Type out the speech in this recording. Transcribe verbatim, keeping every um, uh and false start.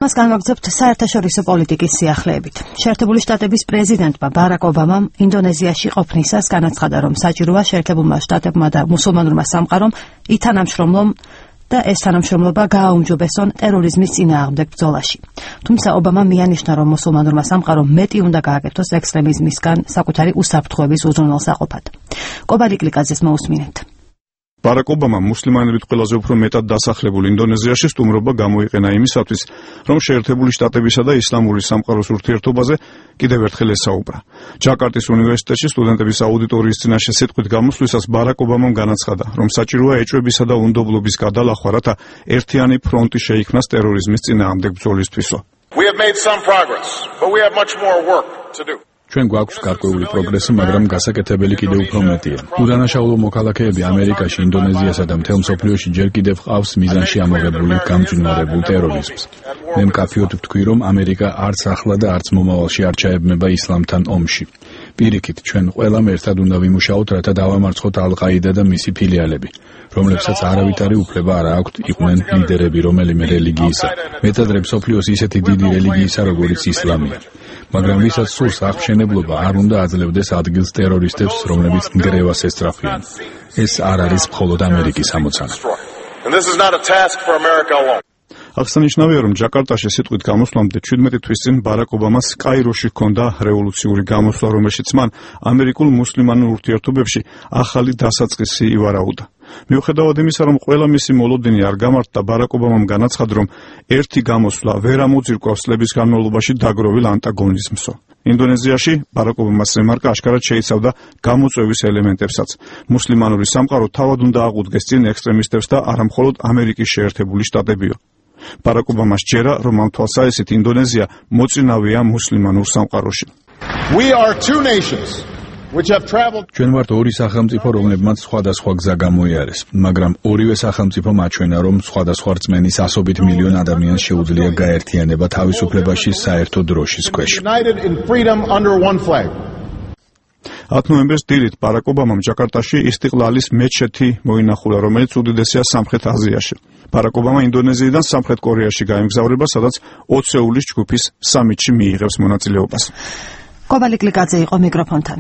მას განვაგრძობთ საერთაშორისო პოლიტიკის სიახლეებით. შეერთებული შტატების პრეზიდენტმა ბარაკ ობამამ ინდონეზიაში ყოფნისას განაცხადა, რომ საჭიროა შეერთებულმა შტატებმა და მუსულმანურმა სამყარომ ითანამშრომლონ და ეს თანამშრომლობა გააუმჯობესონ ტერორიზმის წინააღმდეგ ბრძოლაში. თუმცა ობამამ მიანიშნა, რომ მუსულმანურმა სამყარომ მეტი უნდა გააკეთოს ექსტრემიზმისგან საკუთარი უსაფრთხოების უზრუნველსაყოფად. კობალიკ ლიკაძეს მოусმინეთ. ბარაკ ობამამ მუსლიმანებით ყველაზე უფრო მეტად დასახლებულ ინდონეზიაში სტუმრობა გამოიყენა იმისათვის, რომ შეერთებული შტატებისა და ისლამური სამყაროს ურთიერთობაზე კიდევ ერთხელ ესაუბრა. ჯაკარტის უნივერსიტეტში სტუდენტების აუდიტორიის წინაშე სიტყვით გამოსვლისას ბარაკ ობამამ განაცხადა, რომ საჭიროა ეჭვებისა და უნდობლობის გადალახვა, რათა ერთიანი ფრონტი შეიქმნას ტერორიზმის წინააღმდეგ ბრძოლისთვისო. We have made some progress, but we have much more work to do. ჩვენ გვაქვს გარკვეული პროგრესი, მაგრამ გასაკეთებელი კიდევ უფრო მეტია. უდანაშაულო მოქალაქეები ამერიკაში, ინდონეზიასა და მთელ მსოფლიოში ჯერ კიდევ ყავს მიზანში ამოღებული გამძვინვარებულ ტერორიზმს. მე მკაფიოდ ვთქვი, რომ ამერიკა არც ახლა და არც მომავალში არ ჩაებმება ისლამთან ომში. პირიქით, ჩვენ ყველამ ერთად უნდა ვიმუშაოთ, რათა დავამარცხოთ ალ-ყაიდა და მისი ფილიალები, რომლებსაც არავითარი უფლება არ აქვთ იყვნენ ლიდერები რომელიმე რელიგიისა. მეტადრე მსოფლიოს ისეთი დიდი რელიგიისა, როგორიც ისლამია. მაგრამ ვისაც სურს აღმშენებლობა, არ უნდა აძლევდეს ადგილს ტერორისტებს, რომლებიც ნგრევას ესწრაფვიან. ეს არ არის მხოლოდ ამერიკის ამოცანა. აღსანიშნავია, რომ ჯაკარტაში სიტყვით გამოსვლამდე ჩვიდმეტი თვის წინ ბარაკ ობამას კაიროში ჰქონდა რევოლუციური გამოსვლა, რომელშიც მან ამერიკულ მუსლიმანურ ურთიერთობებში ახალი დასაწყისი ივარაუდა. მიუხედავად იმისა, რომ ყველა მისი მოლოდინი არ გამართდა, ბარაკ ობამამ განაცხადა, რომ ერთი გამოსვლა ვერ ამოძირკვავს წლების განმავლობაში დაგროვილ ანტაგონიზმსო. ინდონეზიაში ბარაკ ობამას რემარკა აშკარად შეიცავდა გამოწვევის ელემენტებსაც. მუსლიმანური სამყარო თავად უნდა აყუდგეს წინ ექსტრემისტებს და არა მხოლოდ ამერიკის შეერთებული შტატებიო. ბარაკ ობამას ჯერა, რომ ამ თვალსაჩინით ინდონეზია მოწინავეა მუსლიმანურ სამყაროში. We are two nations which have traveled. ჩვენ ვართ ორი სახელმწიფო, რომლებმაც სხვადასხვა გზა გამოიარეს, მაგრამ ორივე სახელმწიფო მაჩვენა, რომ სხვადასხვა რწმენის ასობით მილიონ ადამიანს შეუძლია გაერთიანება თავისუფლებაში საერთო დროშის ქვეშ. ათი ნოემბერს დილით ბარაკ ობამამ ჯაკარტაში ისტიყლალის მეჩეთი მოინახულა, რომელიც უდიდესია სამხრეთ აზიაში. ბარაკ ობამა ინდონეზიიდან სამხრეთ კორეაში გაემგზავრება, სადაც ოცეულის ჯგუფის სამიტში მიიღებს მონაწილეობას. კობალიკ ლიკაძე იყო მიკროფონთან.